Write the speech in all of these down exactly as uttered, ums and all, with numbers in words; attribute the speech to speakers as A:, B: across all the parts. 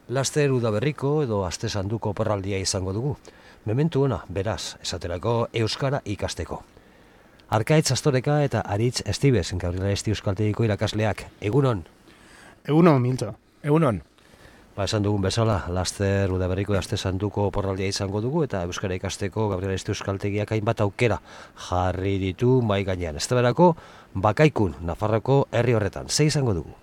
A: Laster udaberriko edo aste sanduko oporraldia izango dugu. Mementu ona, beraz, esaterako euskara ikasteko. Arkaitz Astoreka eta Aritz Estibes, Gabriela Esti Euskaltegiko irakasleak. Egunon?
B: Egunon, Milto.
C: Egunon.
A: Ba, esan dugun bezala, laster udaberriko aste sanduko oporraldia izango dugu eta euskara ikasteko Gabriela Esti Euskaltegiak hainbat aukera jarri ditu mai gainean. Ez berako, Bakaikun, Nafarroko herri horretan. Ze izango dugu?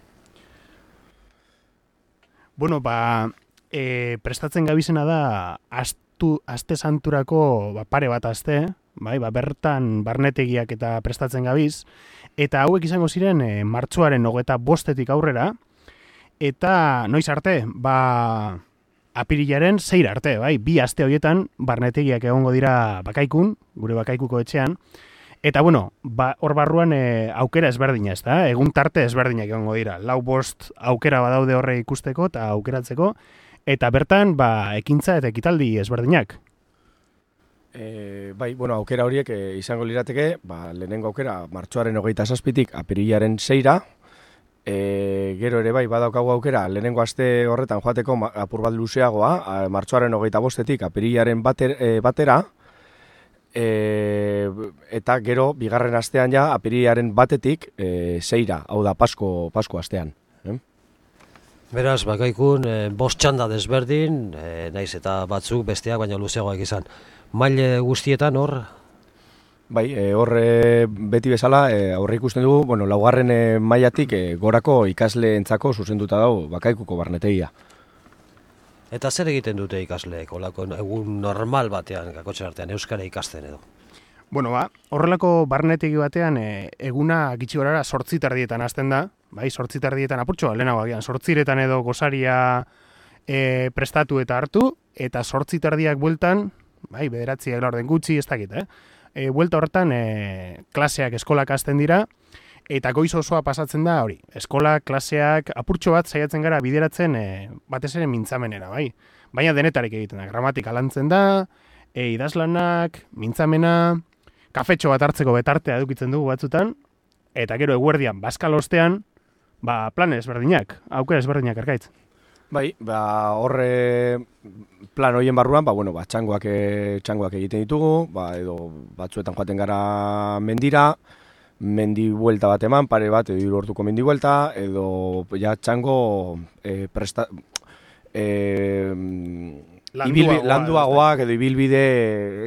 B: Bueno, ba, e, prestatzen gabizena da astu, aste santurako ba, pare bat aste, bai, ba, bertan barnetegiak eta prestatzen gabiz, eta hauek izango ziren e, martxoaren hogeita bostetik aurrera, eta noiz arte, ba, apirilaren zeir arte, bai, bi aste horietan barnetegiak egongo dira Bakaikun, gure Bakaikuko etxean, eta bueno, ba, hor barruan e, aukera ezberdina, ez da, egun tarte ezberdinak egongo dira, lau bost aukera badaude horre ikusteko eta aukeratzeko, eta bertan, ba, ekintza eta ekitaldi ezberdinak.
C: E, bai, bueno, aukera horiek e, izango lirateke, ba, lehenengo aukera martxoaren hogeita zazpitik apirilaren zeira, e, gero ere bai, badaukagu aukera, lehenengo aste horretan joateko apur bat luzeagoa, martxoaren hogeita bostetik apirilaren bater, e, batera, E, eta gero bigarren astean ja apirilaren batetik e, zeira, hau da Pasko, Pasko astean. Eh?
A: Beraz, Bakaikun, e, bost txanda desberdin, e, naiz eta batzuk besteak baina luzeagoak izan. Maile guztietan hor?
C: Bai, e, hor e, beti bezala e, aurre ikusten dugu, bueno, laugarren e, mailatik e, gorako ikasleentzako zuzenduta dago Bakaikuko barnetegia.
A: Eta zer egiten dute ikasleek, olako egun normal batean, kakotxen artean, euskara ikasten edo?
B: Bueno, ba, horrelako barnetegi batean e, eguna gitxi gorara sortzi tardietan hasten da, bai, sortzi tardietan apurtxo, lehenago agian, sortziretan edo gosaria e, prestatu eta hartu, eta sortzi tardiak bueltan, bai, bederatziak laurden gutxi, ez dakit, eh? E, buelta horretan e, klaseak eskolak hasten dira, eta goiz osoa pasatzen da hori. Eskola, klaseak, apurtxo bat saiatzen gara bideratzen e, batez ere mintzamenera, bai. Baina denetarik egiten da, gramatika lantzen da, e, idazlanak, mintzamena, kafetxo bat hartzeko betartea edukitzen dugu batzutan, eta gero eguerdian, bazkal ostean, ba, plan ezberdinak, aukera ezberdinak Arkaitz.
C: Bai, ba, horre plan horien barruan, ba, bueno, ba, txangoak, e, txangoak egiten ditugu, ba, edo batzuetan joaten gara mendira, mendi buelta bat eman, pare bat, edo hiru orduko mendi buelta, edo ja txango e, presta, e,
B: landuagoa,
C: landuagoak edo ibilbide,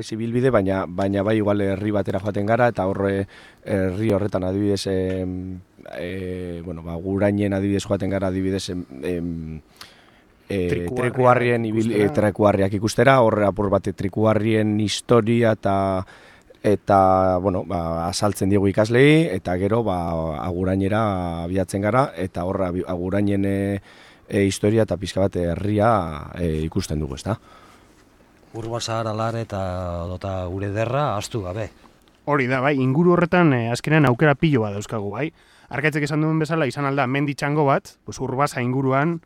C: ez ibilbide, baina, baina bai igual herri batera joaten gara, eta horre herri horretan adibidez, e, e, bueno, ba, Gurainen adibidez joaten gara adibidez, e, e, trikuarrien, ibil, e, trikuarriak ikustera, horre apur bat trikuarrien historia eta eta, bueno, ba, asaltzen diegu ikaslei, eta gero, ba, Agurainera abiatzen gara, eta horra Agurainen e, e, historia eta pixka bat herria e, ikusten dugu, ezta?
A: Urbasa, Aralar eta dota gure derra astu gabe.
B: Hori da, bai, inguru horretan e, azkenean aukera pilo bat dauzkagu, bai. Arkaitzek esan duen bezala, izan alda mendi txango bat, pues, Urbasa inguruan,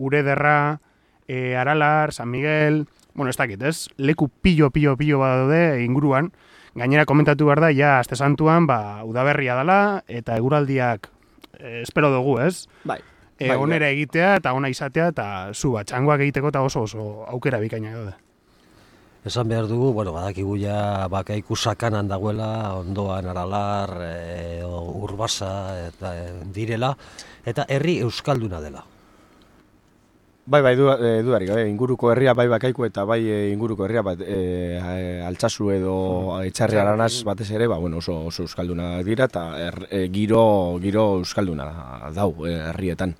B: ure derra, e, Aralar, San Miguel, bueno, ez dakit, ez? Leku pilo, pilo, pilo bat daude inguruan. Gainera komentatu behar da, ja, aste santuan, ba, udaberria dela, eta eguraldiak eh, espero dugu, ez?
C: Bai.
B: E,
C: bai,
B: onera
C: bai.
B: egitea, eta ona izatea, eta zu, ba, txangoak egiteko, eta oso oso aukera bikaina daude.
A: Esan behar dugu, bueno, badakigu ja Bakaiku sakanan dagoela, ondoan Aralar, e, Urbasa, eta e, direla, eta herri euskalduna dela.
C: Bai, bai, du, e, dudarik, e, inguruko herria bai Bakaiku eta bai e, inguruko herria bat e, e, Altsasu edo Etxarri Aranaz batez ere, ba, bueno, oso, oso euskalduna dira eta er, e, giro, giro euskalduna dau e, herrietan.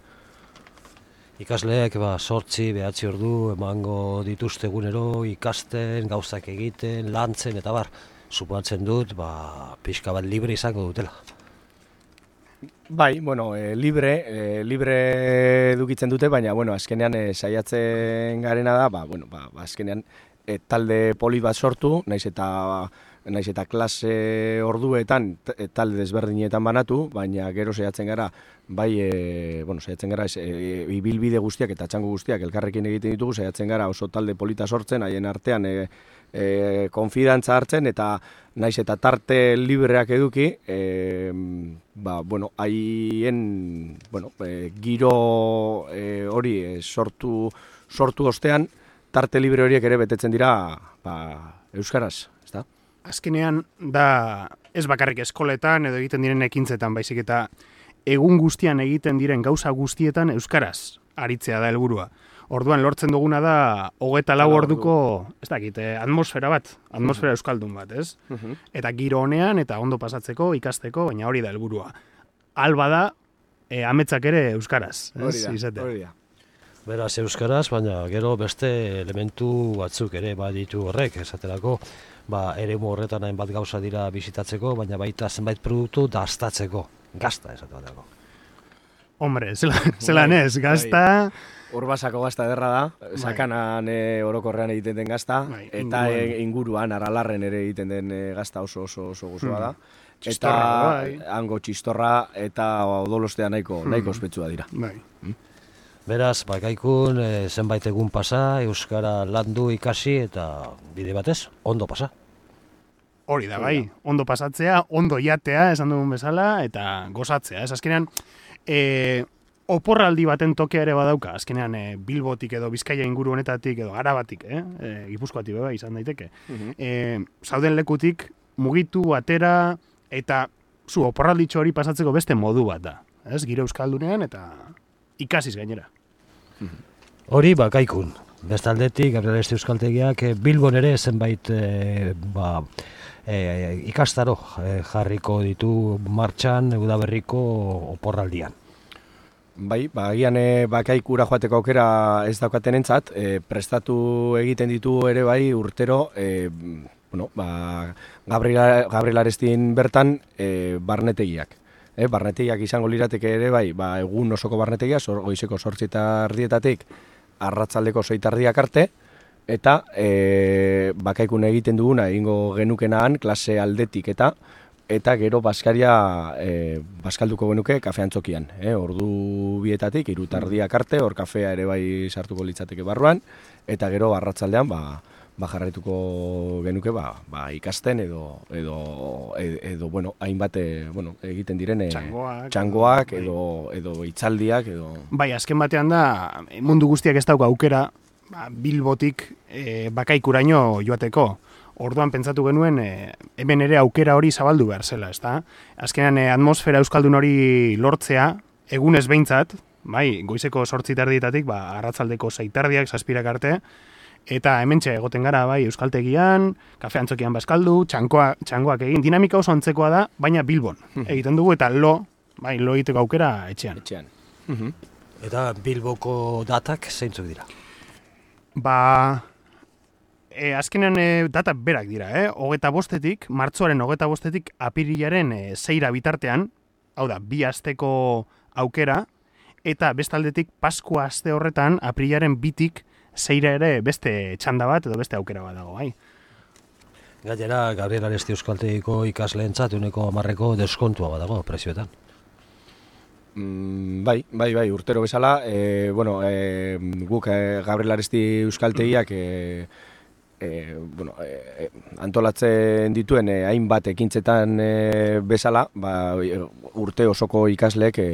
A: Ikasleek ba, sortzi, behatzi ordu emango dituzte egunero, ikasten, gauzak egiten, lantzen eta bar, suposatzen dut, ba, pixka bat libre izango dutela.
C: Bai, bueno, e, libre, e, libre edukitzen dute, baina, bueno, azkenean e, saiatzen garena da, ba, bueno, ba, azkenean e, talde polit bat sortu, naiz eta, naiz eta klase orduetan e, talde desberdinetan banatu, baina gero saiatzen gara, bai, e, bueno, saiatzen gara, e, ibilbide guztiak eta txango guztiak elkarrekin egiten ditugu, saiatzen gara oso talde polita sortzen, haien artean, e, e, konfidantza hartzen eta naiz eta tarte libreak eduki, e, ba, bueno, haien, bueno, e, giro e, hori e, sortu sortu ostean, tarte libre horiek ere betetzen dira ba, euskaraz, ezta?
B: Azkenean da ez bakarrik eskoletan edo egiten diren ekintzetan, baizik eta egun guztian egiten diren gauza guztietan euskaraz aritzea da helburua. Orduan lortzen duguna da hogeita lau orduko, ez dakit, eh, atmosfera bat, atmosfera euskaldun bat, ez?
C: Uh-huh.
B: Eta giro honean eta ondo pasatzeko, ikasteko, baina hori da helburua. Alba da, eh, ametsak ere euskaraz, ez?
C: Hori da,
B: Izatea.
C: hori da.
A: Beraz euskaraz, baina gero beste elementu batzuk ere baditu horrek, esaterako, ba, eremu horretan hainbat gauza dira bisitatzeko, baina baita zenbait produktu daztatzeko, gazta esaterako.
B: Hombre, zelan, zelan ez, gazta...
C: Urbasako gazta ederra da, sakanan e, orokorrean egiten den gazta,
B: Bai,
C: eta
B: inguruan.
C: e, inguruan, aralarren ere egiten den e, gazta oso oso oso gozoa da. Eta
B: Txistorra, bai.
C: hango txistorra eta odolostea nahiko, nahiko ospetsua dira.
B: Bai.
A: Beraz, bakaikun e, zenbait egun pasa, euskara landu ikasi eta bide batez, ondo pasa.
B: Hori da, bai, ondo pasatzea, ondo jatea, esan dugun bezala, eta gozatzea. Ez azkenean, e, oporraldi baten tokea ere badauka, azkenean e, Bilbotik edo Bizkaia inguru honetatik edo Arabatik, eh? E, Gipuzkoatik beba izan daiteke.
C: Mhm.
B: E, zauden lekutik mugitu, atera, eta zu oporralditxo hori pasatzeko beste modu bat da. Ez, giro euskaldunean eta ikasiz gainera.
A: Hori bakaikun. Bestaldetik, Gabriel Aresti Euskaltegiak e, Bilbon ere zenbait e, ba, e, ikastaro e, jarriko ditu martxan udaberriko oporraldian.
C: Bai, ba, agian e, bakaikura joateko aukera ez daukaten entzat, e, prestatu egiten ditu ere bai urtero, e, bueno, ba, Gabriel, Gabriel Arestin bertan e, barnetegiak. E, barnetegiak izango lirateke ere bai, ba, egun osoko barnetegia, zor, goizeko zortzi eta erdietatik arratzaldeko sei eta erdiak arte, eta e, bakaikun egiten duguna egingo genukenaan klase aldetik eta eta gero baskaria e, baskalduko genuke kafe antzokian. E, ordu bietatik, hiru eta erdiak arte, hor kafea ere bai sartuko litzateke barruan, eta gero arratsaldean ba, ba jarraituko genuke ba, ba ikasten edo edo edo bueno, hainbat bueno, egiten diren e,
B: Txangoak,
C: txangoak
B: bai.
C: edo edo hitzaldiak edo
B: Bai, azken batean da, mundu guztiak ez dauka aukera, ba, Bilbotik e, bakaikuraino joateko. Orduan pentsatu genuen e, hemen ere aukera hori zabaldu behar zela, ezta? Azkenean e, atmosfera euskaldun hori lortzea, egunez behintzat, bai, goizeko zortzi terdietatik, ba, arratzaldeko sei terdiak, zazpirak arte, eta hementxe egoten gara, bai, euskaltegian, kafe antzokian baskaldu, txankoa, txangoak egin, dinamika oso antzekoa da, baina Bilbon egiten dugu, eta lo, bai, lo egiteko aukera etxean.
C: etxean.
A: Eta Bilboko datak zeintzuk dira?
B: Ba, e, azkenean e, data berak dira, eh? Hogeta bostetik, martzoaren hogeta bostetik apirilaren e, zeira bitartean, hau da, bi asteko aukera, eta bestaldetik Paskua aste horretan, apirilaren bitik zeira ere beste txanda bat edo beste aukera bat dago, bai.
A: Gainera, Gabriel Aresti Euskaltegiko ikasleentzat uneko hamarreko deskontua badago prezioetan.
C: Mm, bai, bai, bai, urtero bezala, e, bueno, e, guk e, Gabriel Aresti Euskaltegiak e, e, bueno, e, antolatzen dituen e, hainbat ekintzetan e, bezala, ba, urte osoko ikasleek e,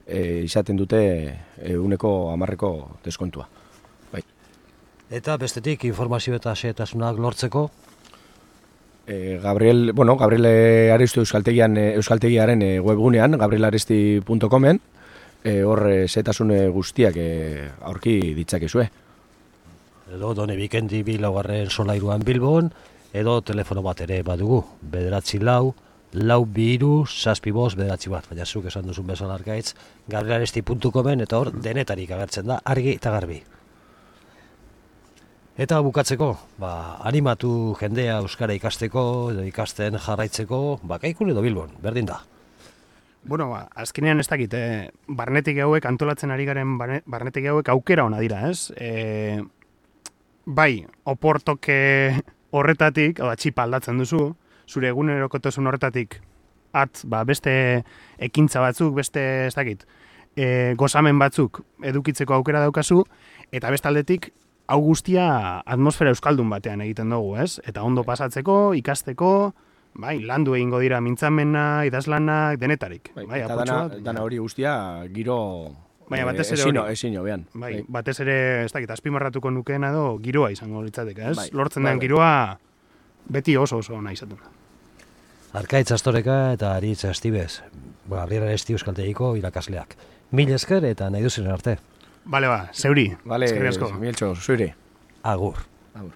C: e, izaten dute e, uneko hamarreko deskontua. Bai.
A: Eta bestetik informazio eta xehetasunak lortzeko,
C: E, Gabriel, bueno, Gabriel Aresti Euskaltegian, Euskaltegiaren e, webgunean, gabrielaresti puntu comen, e, hor e, xehetasun guztiak e, aurki ditzakezue.
A: edo Done Bikendi bi laugarren solairuan Bilbon, edo telefono bat ere badugu, bederatzi lau, lau bi hiru, zazpi bost, bederatzi bat, baina zuk esan duzun bezala arkaitz, gabrielaresti puntu comen, eta hor denetarik agertzen da, argi eta garbi. Eta bukatzeko, ba, animatu jendea euskara ikasteko, edo ikasten jarraitzeko, bakaikun edo Bilbon, berdin da.
B: Bueno, ba, azkenean ez dakit, eh, barnetik hauek antolatzen ari garen barne- barnetik hauek aukera ona dira, ez? E, bai, oportoke horretatik, hau da, txipa aldatzen duzu, zure egunerokotasun horretatik at, ba, beste ekintza batzuk, beste, ez dakit, e, gozamen batzuk edukitzeko aukera daukazu, eta bestaldetik, hau guztia atmosfera euskaldun batean egiten dugu, ez? Eta ondo pasatzeko, ikasteko, bai, landu egingo dira mintzamena, idazlanak, denetarik.
C: Bai,
B: Bai,
C: eta
B: apurtxo
C: dana,
B: bat,
C: dana hori guztia giro
B: Baina batez ere
C: ezin,
B: hori.
C: ezin hobean.
B: Bai, batez ere, ez dakit, azpimarratuko nukeena edo giroa izango litzateke, ez?
C: Bai,
B: Lortzen
C: bai,
B: den
C: bai.
B: giroa beti oso oso ona izaten da.
A: Arkaitz Astoreka eta Aritz Astibez, Gabriel Aresti euskaltegiko irakasleak. Mil esker eta nahi duzen arte.
B: Bale ba, zeuri.
C: Vale,
B: Eskerrik asko.
C: Mieltxo, zuire.
A: Agur.
C: Agur.